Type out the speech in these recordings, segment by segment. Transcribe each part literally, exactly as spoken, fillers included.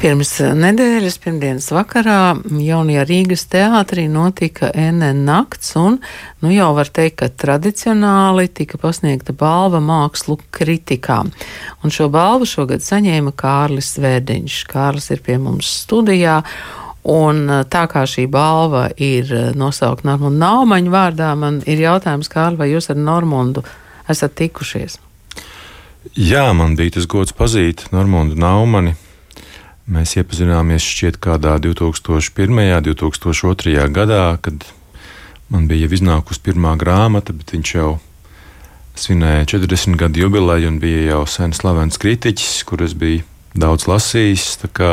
Pirms nedēļas, pirmdienas vakarā, jaunajā Rīgas teātrī notika N N nakts, un nu jau var teikt, ka tradicionāli tika pasniegta balva mākslu kritikā. Un šo balvu šogad saņēma Kārlis Vērdiņš. Kārlis ir pie mums studijā, un tā kā šī balva ir nosaukta Normundu Naumaņu vārdā, man ir jautājums, Kārli, vai jūs ar Normundu esat tikušies? Jā, man bija tas gods pazīt Normundu Naumani. Mēs iepazināmies šķiet kādā divi tūkstoši pirmajā, divi tūkstoši otrajā gadā, kad man bija jau iznākusi pirmā grāmata, bet viņš jau svinēja četrdesmit gadu jubileju un bija jau sen slavens kritiķis, kur es biju daudz lasījis. Tā kā,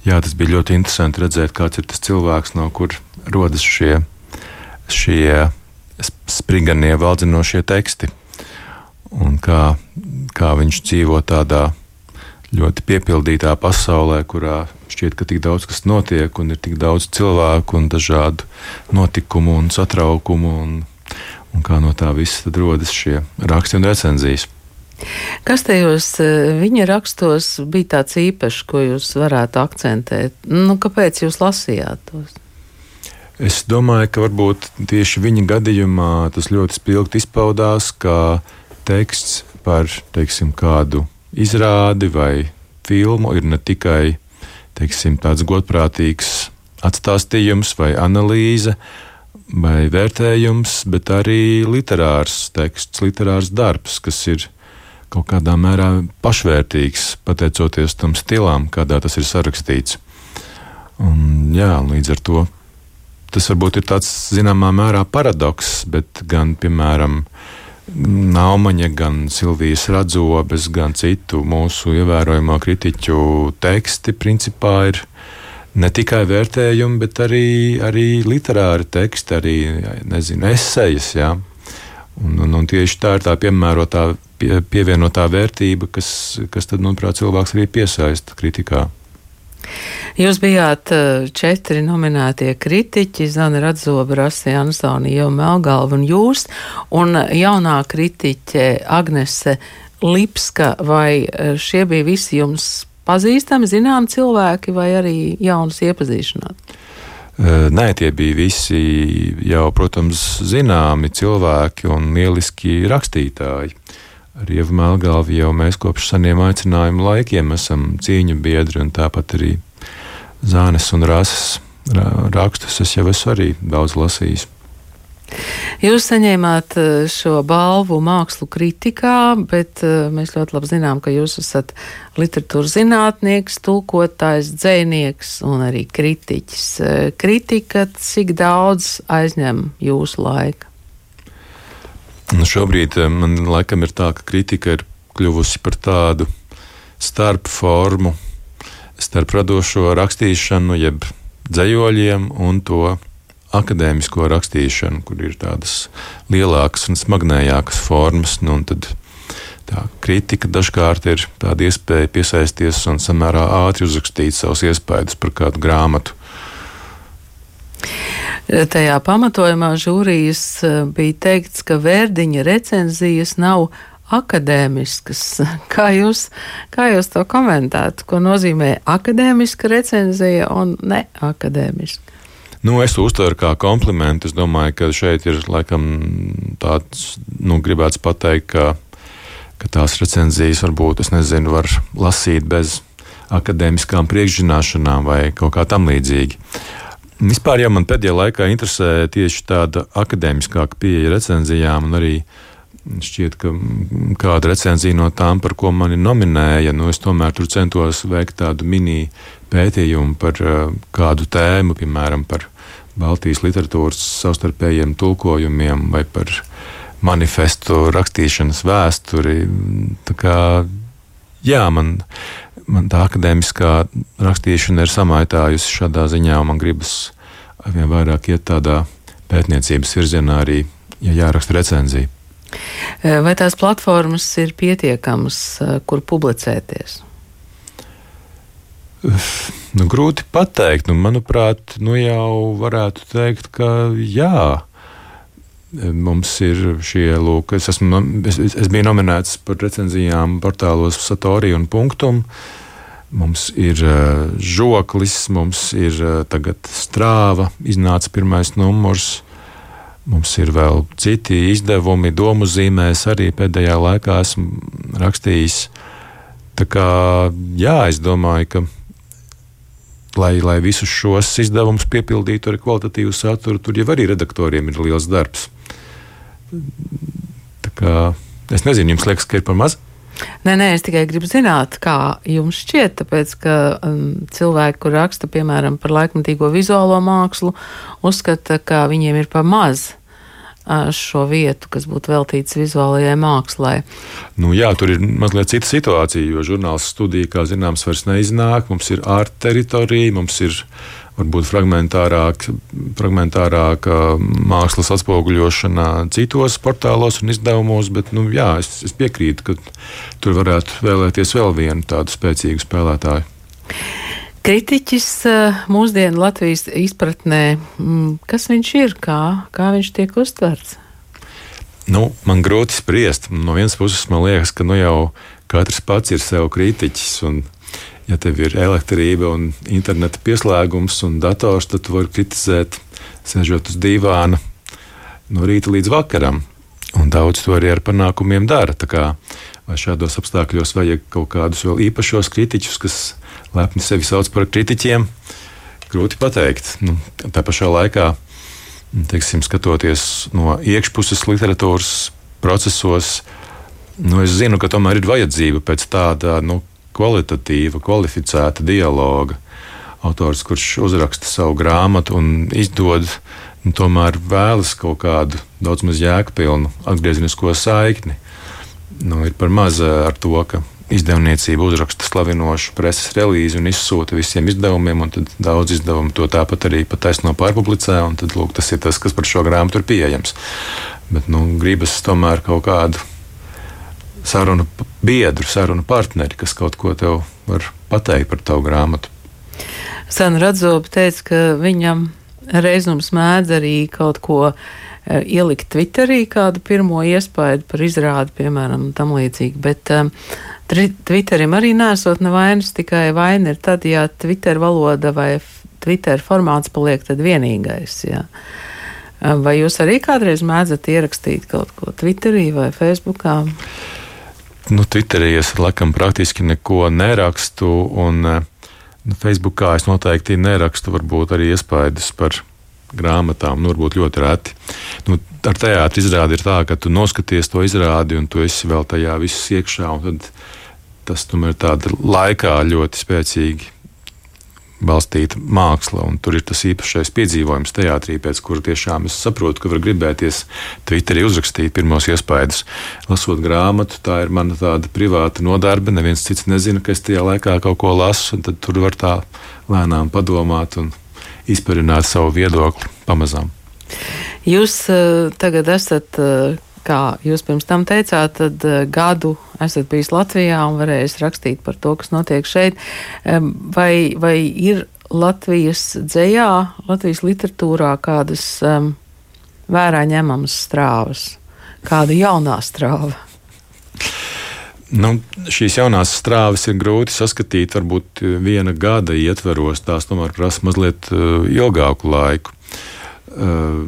jā, tas bija ļoti interesanti redzēt, kāds ir tas cilvēks, no kur rodas šie, šie spriganie, valdzinošie teksti. Un kā, kā viņš dzīvo tādā ļoti piepildītā pasaulē, kurā šķiet, ka tik daudz kas notiek, un ir tik daudz cilvēku un dažādu notikumu un satraukumu, un, un kā no tā visa tad rodas šie raksti un recenzijas. Kas tajos viņa rakstos bija tāds īpašs, ko jūs varētu akcentēt? Nu, kāpēc jūs lasījāt tos? Es domāju, ka varbūt tieši viņa gadījumā tas ļoti spilgti izpaudās, kā teksts par, teiksim, kādu izrādi vai filmu ir ne tikai, teiksim, tāds godprātīgs atstāstījums vai analīze vai vērtējums, bet arī literārs teksts, literārs darbs, kas ir kaut kādā mērā pašvērtīgs, pateicoties tam stilam, kādā tas ir sarakstīts. Un, jā, līdz ar to tas varbūt ir tāds zināmā mērā paradoks, bet gan, piemēram, Naumaņa, gan Silvijas Radzobes, gan citu mūsu ievērojamo kritiķu teksti principā ir ne tikai vērtējumi, bet arī, arī literāri teksti, arī, nezinu, esejas, jā. Un, un, un tieši tā ir tā piemērotā, pie, pievienotā vērtība, kas, kas tad, manuprāt, cilvēks arī piesaista kritikā. Jūs bijāt četri nominētie kritiķi, Zana Radzoba, Rasija Ansonija, Ieva Melgalva un jūs, un jaunā kritiķe Agnese Lipska, vai šie bija visi jums pazīstami, zinām cilvēki, vai arī jaunas iepazīšanāt? Nē, tie bija visi jau, protams, zināmi cilvēki un lieliski rakstītāji. Ar Ievu Melgalvu jau mēs kopš seniem aicinājumu laikiem esam cīņu biedri, un tāpat arī Zānes un Rases rakstus es jau esmu arī daudz lasījis. Jūs saņēmāt šo balvu mākslu kritikā, bet mēs ļoti labi zinām, ka jūs esat literatūras zinātnieks, tulkotājs, dzejnieks un arī kritiķis. Kritika, cik daudz aizņem jūsu laika? Nu, šobrīd man laikam ir tā, ka kritika ir kļuvusi par tādu starp formu, starp radošo rakstīšanu, jeb dzejoļiem un to akadēmisko rakstīšanu, kur ir tādas lielākas un smagnējākas formas. Nu, un tad tā kritika dažkārt ir tāda iespēja piesaisties un samērā ātri uzrakstīt savus iespaidus par kādu grāmatu. Tajā pamatojumā žūrijas bija teikts, ka Vērdiņa recenzijas nav akadēmiskas. Kā jūs, kā jūs to komentētu? Ko nozīmē akadēmiska recenzija un neakadēmiska? Nu, es uztveru kā komplimentu. Es domāju, ka šeit ir laikam tāds, nu, gribēts pateikt, ka, ka tās recenzijas varbūt, es nezinu, var lasīt bez akadēmiskām priekšzināšanām vai kaut kā tam līdzīgi. Vispār jau man pēdējā laikā interesē tieši tāda akadēmiskāka pieeja recenzijām, un arī šķiet, ka kāda recenzija no tām, par ko mani nominēja, nu es tomēr tur centos veikt tādu mini pētījumu par kādu tēmu, piemēram, par Baltijas literatūras savstarpējiem tulkojumiem vai par manifestu rakstīšanas vēsturi. Tā kā, jā, man... Man tā akadēmiskā rakstīšana ir samaitājusi šādā ziņā, un man gribas vien vairāk iet tādā pētniecības virzienā arī, ja jāraksta recenzija. Vai tās platformas ir pietiekamas, kur publicēties? Nu, grūti pateikt. Nu, manuprāt, nu jau varētu teikt, ka jā. Mums ir šie, lūk, es, esmu, es, es biju nominēts par recenzijām portālos Satori un Punktum. mums ir uh, žoklis, mums ir uh, tagad strāva, iznāca pirmais numurs. Mums ir vēl citi izdevumi, domu zīmēs arī pēdējā laikā esmu rakstījis. Tā kā, jā, es domāju, ka, lai, lai visus šos izdevumus piepildītu ar kvalitatīvu saturu, tur jau arī redaktoriem ir liels darbs. Tā kā, es nezinu, jums liekas, ka ir par maz? Nē, nē, es tikai gribu zināt, kā jums šķiet, tāpēc, ka um, cilvēki, kur raksta, piemēram, par laikmatīgo vizuālo mākslu, uzskata, ka viņiem ir par maz uh, šo vietu, kas būtu veltīts vizuālajai mākslai. Nu jā, tur ir mazliet cita situācija, jo žurnāls studija, kā zināms, vairs neiznāk. Mums ir art teritorija, mums ir varbūt fragmentārāk, fragmentārāka mākslas atspoguļošana citos portālos un izdevumos, bet nu, jā, es, es piekrītu, ka tur varētu vēlēties vēl vienu tādu spēcīgu spēlētāju. Kritiķis mūsdienu Latvijas izpratnē, kas viņš ir, kā, kā viņš tiek uztverts? Nu, man grūti spriest. No vienas puses man liekas, ka nu jau katrs pats ir sev kritiķis, un ja tev ir elektrība un interneta pieslēgums un dators, tad tu vari kritizēt, sēžot uz dīvāna no rīta līdz vakaram. Un daudz to arī ar panākumiem dara. Tā kā, vai šādos apstākļos vajag kaut kādus vēl īpašos kritiķus, kas lepni sevi sauc par kritiķiem, grūti pateikt. Nu, tā pašā laikā, teiksim, skatoties no iekšpuses literatūras procesos, nu, es zinu, ka tomēr ir vajadzība pēc tāda, nu, kvalitatīva, kvalificēta dialoga. Autors, kurš uzraksta savu grāmatu un izdod, nu, tomēr vēlas kaut kādu daudz maz jēgpilnu atgriezenisko saikni. Nu, ir par maz ar to, ka izdevniecība uzraksta slavinošu preses relīzi un izsūta visiem izdevumiem, un tad daudz izdevumu to tāpat arī pataisno pārpublicē, un tad, lūk, tas ir tas, kas par šo grāmatu ir pieejams. Bet, nu, gribas tomēr kaut kādu sarunu biedru, sarunu partneri, kas kaut ko tev var pateikt par tavu grāmatu. Sana Radzoba teica, ka viņam reizums mēdz arī kaut ko e, ielikt Twitterī, kādu pirmo iespaidu par izrādi, piemēram, tam līdzīgi, bet um, Twitterim arī nesot nevainas, tikai vaina ir tad, ja Twitter valoda vai Twitter formāts paliek tad vienīgais, jā. Vai jūs arī kādreiz mēdzat ierakstīt kaut ko Twitterī vai Facebookā? Nu, Twitterī es laikam praktiski neko nerakstu, un nu, Facebookā es noteikti nerakstu varbūt arī iespaidus par grāmatām, nu, varbūt ļoti reti. Nu, ar teātri izrādi ir tā, ka tu noskaties to izrādi, un tu esi vēl tajā viss iekšā, un tad tas tomēr tāda laikā ļoti spēcīgi balstīta māksla, un tur ir tas īpašais piedzīvojums teātrī, pēc kura tiešām es saprotu, ka var gribēties Twitterī uzrakstīt pirmos iespaidus. Lasot grāmatu, tā ir mana tāda privāta nodarbe, neviens cits nezina, ka es tajā laikā kaut ko lasu, un tad tur var tā lēnām padomāt un izparināt savu viedokli pamazām. Jūs uh, tagad esat, uh, kā jūs pirms tam teicāt, tad uh, gadu esat bijis Latvijā un varējis rakstīt par to, kas notiek šeit. Um, vai, vai ir Latvijas dzejā, Latvijas literatūrā kādas um, vērā ņemamas strāvas? Kāda jaunā strāva? Nu, šīs jaunās strāvas ir grūti saskatīt, varbūt viena gada ietveros, tās tomēr prasa mazliet uh, ilgāku laiku. Uh,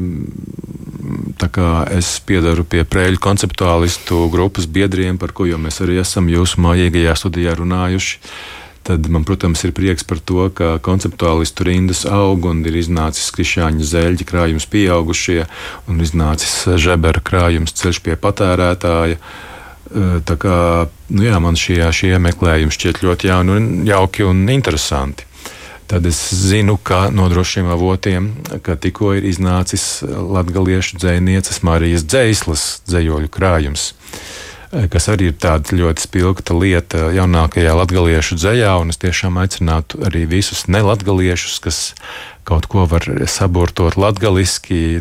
tā kā es piedaru pie Prēļu konceptuālistu grupas biedriem, par ko jau mēs arī esam jūsu mājīgajā studijā runājuši, tad man, protams, ir prieks par to, ka konceptuālistu rindas aug un ir iznācis Krišāņa Zeļģa krājums Pieaugušie un iznācis Žebera krājums Ceļš pie patērētāja. Tā kā, nu jā, man šie, šie meklējumi šķiet ļoti jauni un jauki un interesanti. Tad es zinu, ka no drošiem avotiem, ka tikko ir iznācis latgaliešu dzejnieces Marijas Dzeislas dzejoļu krājums, kas arī ir tāda ļoti spilgta lieta jaunākajā latgaliešu dzejā, un es tiešām aicinātu arī visus nelatgaliešus, kas kaut ko var saburtot latgaliski,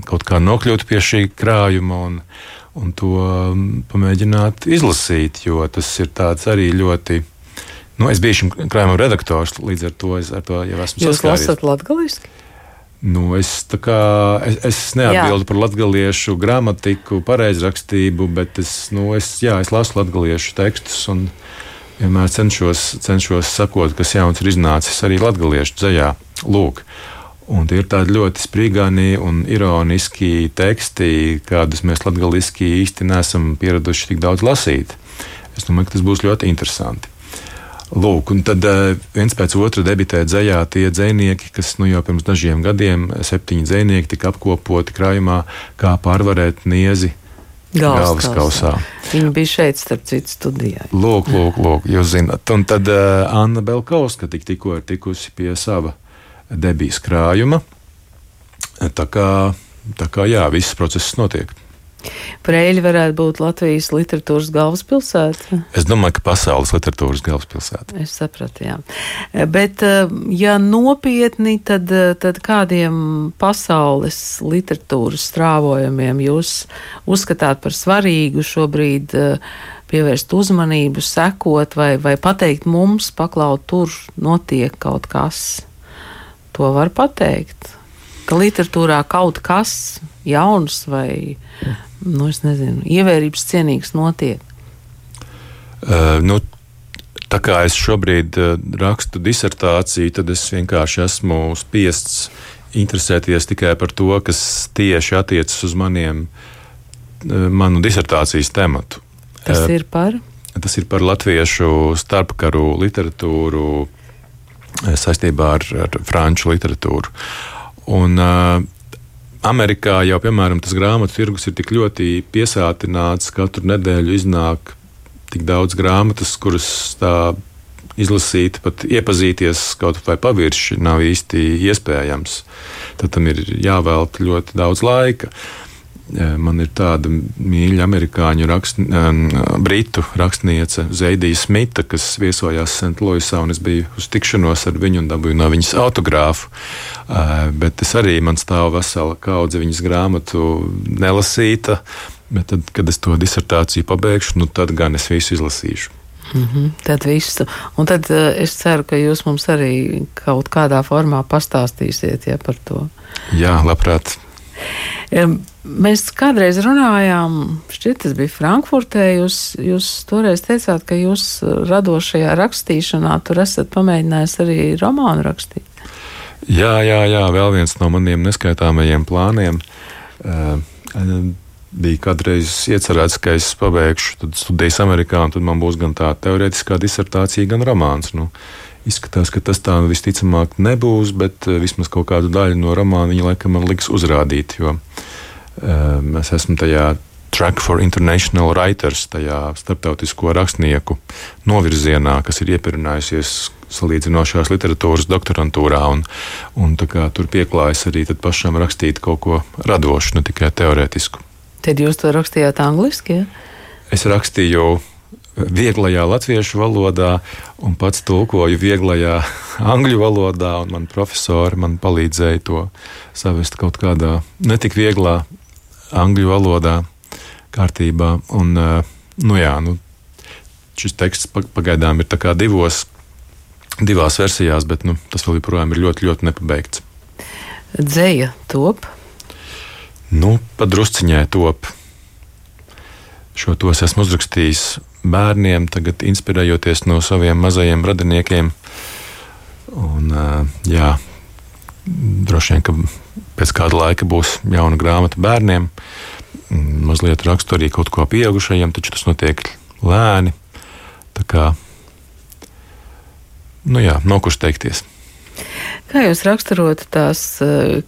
kaut kā nokļūt pie šī krājuma un, un to pamēģināt izlasīt, jo tas ir tāds arī ļoti. Nu, es biju šim krājumam redaktors, līdz ar to es ar to jau esmu saskāries. Jūs lasat latgaliski? Nu, es tā kā, es, es neatbildu jā. Par latgaliešu gramatiku, pareizrakstību, bet es, nu, es, jā, es lasu latgaliešu tekstus un, vienmēr cenšos, cenšos sakot, kas jauns ir iznācis arī latgaliešu dzejā. Lūk. Un tie ir tādi ļoti sprīgāni un ironiski teksti, kādus mēs latgaliski īsti neesam pieraduši tik daudz lasīt. Es domāju, ka tas būs ļoti interesanti. Lūk, un tad viens pēc otra debitē dzejā tie dzejnieki, kas nu jau pirms dažiem gadiem, septiņi dzejnieki tika apkopoti krājumā, kā pārvarēt niezi galvaskausā. Viņa bija šeit, starp citu, studijā. Lūk, lūk, lūk, jūs zināt. Un tad uh, Anna Belkovska tik, tikko ir tikusi pie sava debijas krājuma. Tā kā, tā kā jā, viss process notiek. Preiļi varētu būt Latvijas literatūras galvaspilsēta? Es domāju, ka pasaules literatūras galvaspilsēta. Es sapratu, jā. Bet, ja nopietni, tad, tad kādiem pasaules literatūras strāvojumiem jūs uzskatāt par svarīgu šobrīd pievērst uzmanību, sekot vai, vai pateikt mums, paklaut, tur notiek kaut kas? To var pateikt, ka literatūrā kaut kas jauns vai, nu, es nezinu, ievērības cienīgs notiek. Uh, nu, tā kā es šobrīd uh, rakstu disertāciju, tad es vienkārši esmu spiests interesēties tikai par to, kas tieši attiecas uz maniem, uh, manu disertācijas tematu. Tas uh, ir par? Tas ir par latviešu starpkaru literatūru saistībā ar, ar franču literatūru. Un uh, Amerikā jau, piemēram, tas grāmatu tirgus ir tik ļoti piesātināts, katru nedēļu iznāk tik daudz grāmatas, kuras tā izlasīt, pat iepazīties kaut vai pavirši nav īsti iespējams. Tad tam ir jāvelta ļoti daudz laika. Man ir tāda mīļa amerikāņu rakst, britu rakstniece Zeidija Smita, kas viesojās Sentluisā, un es biju uz tikšanos ar viņu un dabūju no viņas autogrāfu. Bet es arī, man stāv vesela kaudze viņas grāmatu nelasīta, bet tad, kad es to disertāciju pabeigšu, nu tad gan es visu izlasīšu. Mm-hmm, tad visu. Un tad uh, es ceru, ka jūs mums arī kaut kādā formā pastāstīsiet, ja, par to. Jā, labprāt. Mēs kādreiz runājām, šķiet, tas bija Frankfurtē, jūs, jūs toreiz teicāt, ka jūs radošajā rakstīšanā tur esat pamēģinājis arī romānu rakstīt. Jā, jā, jā, vēl viens no maniem neskaitāmajiem plāniem. Uh, bija kādreiz iecerēts, ka es pabeigšu studijas Amerikā, un tad man būs gan tā teorētiskā disertācija, gan romāns. Nu, izskatās, ka tas tā visticamāk nebūs, bet vismaz kaut kādu daļu no romāna viņa laikam man liks uzrādīt, jo um, es esmu tajā Track for International Writers, tajā starptautisko rakstnieku novirzienā, kas ir iepirinājusies salīdzinošās literatūras doktorantūrā, un, un tā kā tur pieklājas arī tad pašam rakstīt kaut ko radošu, ne tikai teorētisku. Tad jūs to rakstījāt angliski, ja? Es rakstīju vieglajā latviešu valodā un pats tulkoju vieglajā angļu valodā, un man profesori man palīdzēja to savest kaut kādā netik vieglā angļu valodā kārtībā. Un, nu jā, nu, šis teksts pagaidām ir tā kā divos, divās versijās, bet nu, tas vēl joprojām ir ļoti, ļoti nepabeigts. Dzeja top? Nu, padrusciņai top. Šo tos esmu uzrakstījis bērniem, tagad inspirējoties no saviem mazajiem radiniekiem. Un, jā, droši vien, ka pēc kāda laika būs jauna grāmata bērniem. Mazliet rakstu arī kaut ko pieaugušajiem, taču tas notiek lēni. Tā kā, nu jā, nokusteikties. Kā jūs raksturotu tās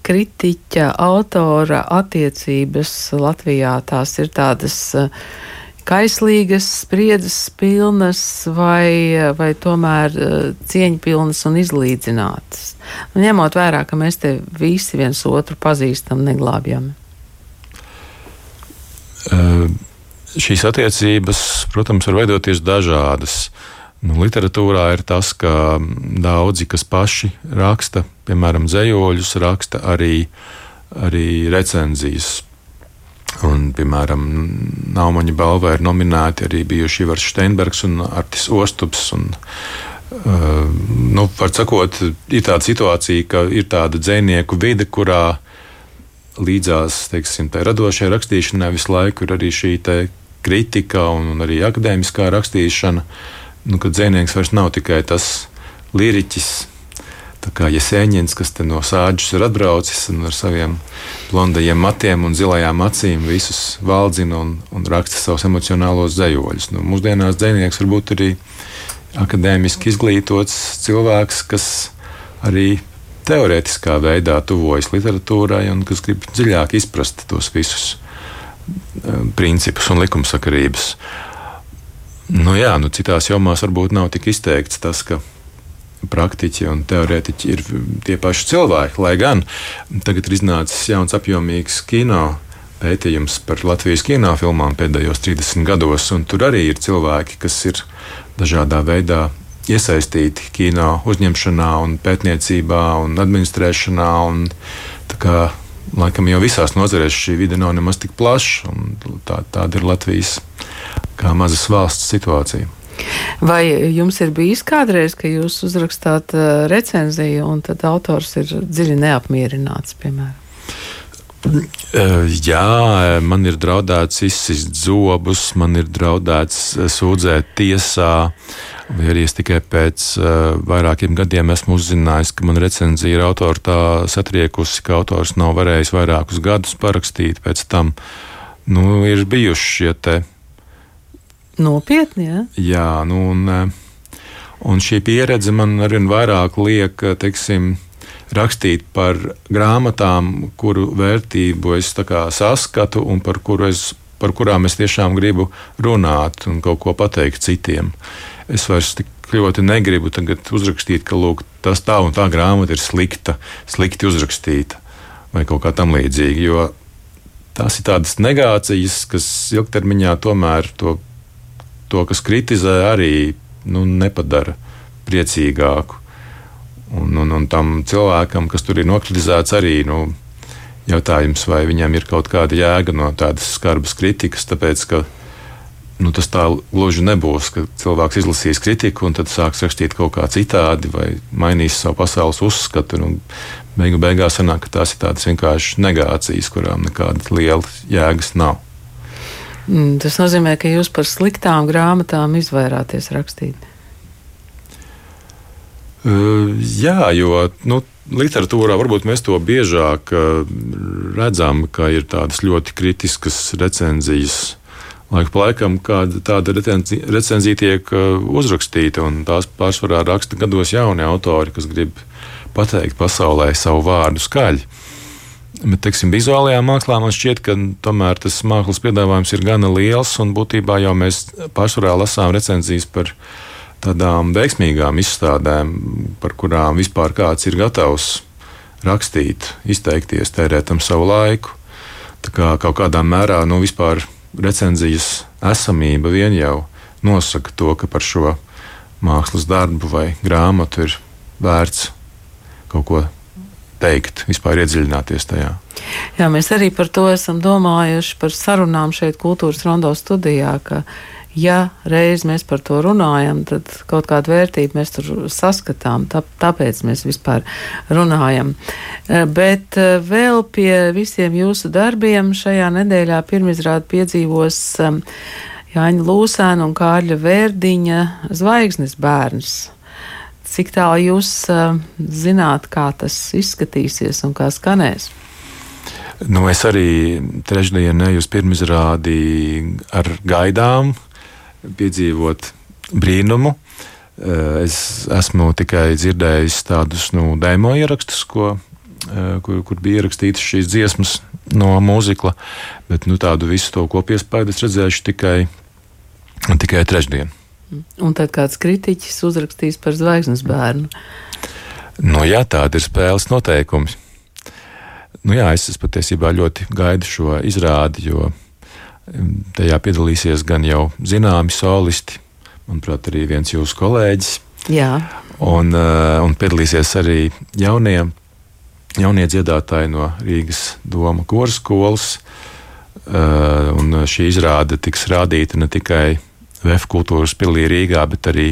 kritiķa, autora attiecības Latvijā? Tās ir tādas kaislīgas, spriedzes pilnas vai, vai tomēr cieņpilnas un izlīdzinātas? Un ņemot vērā, ka mēs te visi viens otru pazīstam neglābjami. Uh, šīs attiecības, protams, var veidoties dažādas. Nu, literatūrā ir tas, ka daudzi, kas paši raksta, piemēram, dzejoļus, raksta arī, arī recenzijas. Un, piemēram, Naumaņa balvā ir nominēti arī bijuši Ivars Steinbergs un Artis Ostups. Un, uh, nu, var sakot, ir tāda situācija, ka ir tāda dzejnieku vide, kurā līdzās, teiksim, tai radošai rakstīšanai visu laiku ir arī šī te kritika un, un arī akadēmiskā rakstīšana, nu, ka dzejnieks vairs nav tikai tas liriķis, tā kā Jesēņins, kas te no Sāģes ir atbraucis un ar saviem blondajiem matiem un zilajām acīm visus valdzina un, un raksta savus emocionālos dzejoļus. Nu, mūsdienās dzejnieks var būt arī akadēmiski izglītots cilvēks, kas arī teorētiskā veidā tuvojas literatūrai un kas grib dziļāk izprast tos visus um, principus un likumsakarības. Nu jā, nu citās jomās varbūt nav tik izteikts tas, ka praktiķi un teorētiķi ir tie paši cilvēki, lai gan tagad ir iznācis jauns apjomīgs kino pētījums par Latvijas kinofilmām pēdējos trīsdesmit gados, un tur arī ir cilvēki, kas ir dažādā veidā iesaistīti kino uzņemšanā un pētniecībā un administrēšanā, un tā kā laikam jau visās nozarēs šī vide nav nemaz tik plaša, un tā, tāda ir Latvijas kā mazas valsts situācija. Vai jums ir bijis kādreiz, ka jūs uzrakstāt uh, recenziju un tad autors ir dziļi neapmierināts, piemēram? Jā, man ir draudēts izsist zobus, man ir draudēts sūdzēt tiesā, vai arī es tikai pēc uh, vairākiem gadiem esmu uzzinājis, ka man recenzija ir autora tā satriekusi, ka autors nav varējis vairākus gadus parakstīt pēc tam. Nu, ir bijuši šie te nopietni, ja? Jā, nu un, un šī pieredze man arvien vairāk liek, teiksim, rakstīt par grāmatām, kuru vērtību es tā kā saskatu un par, kuru es, par kurām es tiešām gribu runāt un kaut ko pateikt citiem. Es vairs tik ļoti negribu tagad uzrakstīt, ka lūk, tas tā un tā grāmata ir slikta, slikti uzrakstīta vai kaut kā tam līdzīgi, jo tās ir tādas negācijas, kas ilgtermiņā tomēr to To, kas kritizē, arī nu, nepadara priecīgāku. Un, un, un tam cilvēkam, kas tur ir nokritizēts, arī nu, jautājums, vai viņam ir kaut kāda jēga no tādas skarbas kritikas, tāpēc, ka nu, tas tā gluži nebūs, ka cilvēks izlasīs kritiku un tad sāks rakstīt kaut kā citādi vai mainīs savu pasaules uzskatu. Un beigu beigās sanāk, ka tās ir tādas vienkārši negācijas, kurām nekādas lielas jēgas nav. Tas nozīmē, ka jūs par sliktām grāmatām izvairāties rakstīt. Uh, jā, jo nu, literatūrā varbūt mēs to biežāk uh, redzam, ka ir tādas ļoti kritiskas recenzijas. Laika pa laikam kāda tāda recenzija, recenzija tiek uh, uzrakstīta, un tās pārsvarā raksta gados jauni autori, kas grib pateikt pasaulē savu vārdu skaļi. Bet, teiksim, vizuālajā mākslā man šķiet, ka tomēr tas mākslas piedāvājums ir gana liels, un būtībā jau mēs pārsvarā lasām recenzijas par tādām veiksmīgām izstādēm, par kurām vispār kāds ir gatavs rakstīt, izteikties, tērēt tam savu laiku. Tā kā kaut kādā mērā nu, vispār recenzijas esamība vien jau nosaka to, ka par šo mākslas darbu vai grāmatu ir vērts kaut ko teikt, vispār iedziļināties tajā. Jā, mēs arī par to esam domājuši, par sarunām šeit Kultūras Rondo studijā, ka ja reiz mēs par to runājam, tad kaut kādu vērtību mēs tur saskatām, tā, tāpēc mēs vispār runājam. Bet vēl pie visiem jūsu darbiem šajā nedēļā pirmizrādi piedzīvos Jāņa Lūsēna un Kārļa Vērdiņa Zvaigznes bērns. Cik tālu jūs uh, zināt, kā tas izskatīsies un kā skanēs? Nu, es arī trešdien eju uz pirmizrādi ar gaidām, piedzīvot brīnumu. Es esmu tikai dzirdējis tādus nu, demo ierakstus, ko, kur, kur bija ierakstītas šīs dziesmas no mūzikla, bet nu, tādu visu to kopiespaidu es redzēšu tikai, tikai trešdien. Un tad kāds kritiķis uzrakstīs par Zvaigznes bērnu. Nu jā, tāda ir spēles noteikumi. Nu jā, es, es patiesībā ļoti gaidu šo izrādi, jo tajā piedalīsies gan jau zināmi solisti, manuprāt, arī viens jūsu kolēģis. Jā. Un, un piedalīsies arī jaunie, jaunie dziedātāji no Rīgas Doma koru skolas. Un šī izrāde tiks rādīta ne tikai V F kultūras pilī Rīgā, bet arī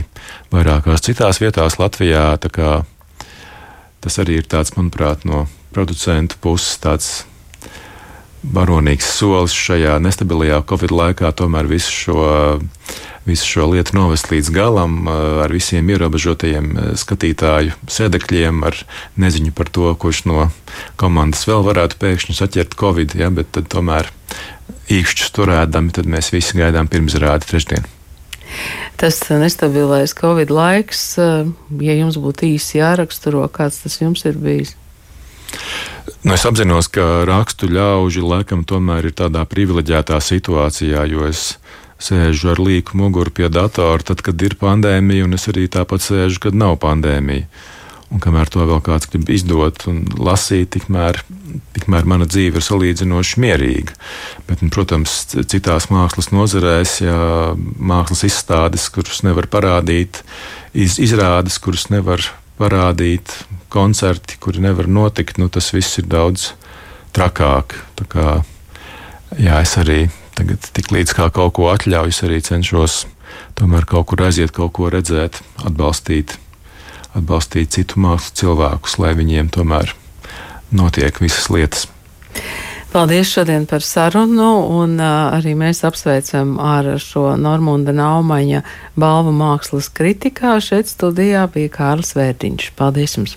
vairākās citās vietās Latvijā. Tā kā tas arī ir tāds, manuprāt, no producentu puses tāds baronīgs solis šajā nestabilajā Covid laikā tomēr visu šo visu šo lietu novest līdz galam ar visiem ierobežotajiem skatītāju sēdekļiem, ar neziņu par to, kurš no komandas vēl varētu pēkšņi saķert Covid, ja, bet tad tomēr īkšķus turēdami, tad mēs visi gaidām pirmsrādi trešdien. Tas nestabilais Covid laiks, ja jums būtu īsi jāraksturo, kāds tas jums ir bijis? Nu, es apzinos, ka rakstu ļauži laikam tomēr ir tādā privileģētā situācijā, jo es sēžu ar līku muguru pie datora, tad, kad ir pandēmija, un es arī tāpat sēžu, kad nav pandēmija. Un kamēr to vēl kāds grib izdot un lasīt, tikmēr, tikmēr mana dzīve ir salīdzinoši mierīga. Bet, un, protams, citās mākslas nozarēs, ja mākslas izstādes, kuras nevar parādīt, iz, izrādes, kuras nevar parādīt, koncerti, kuri nevar notikt, nu, tas viss ir daudz trakāk. Tā kā, jā, es arī tagad tik līdz kā kaut ko atļauju, es arī cenšos tomēr kaut kur aiziet, kaut ko redzēt, atbalstīt, atbalstīt citu mākslu cilvēkus, lai viņiem tomēr notiek visas lietas. Paldies šodien par sarunu, un uh, arī mēs apsveicam ar šo Normunda Naumaņa balvu mākslas kritikā. Šeit studijā bija Kārlis Vērtiņš. Paldies jums!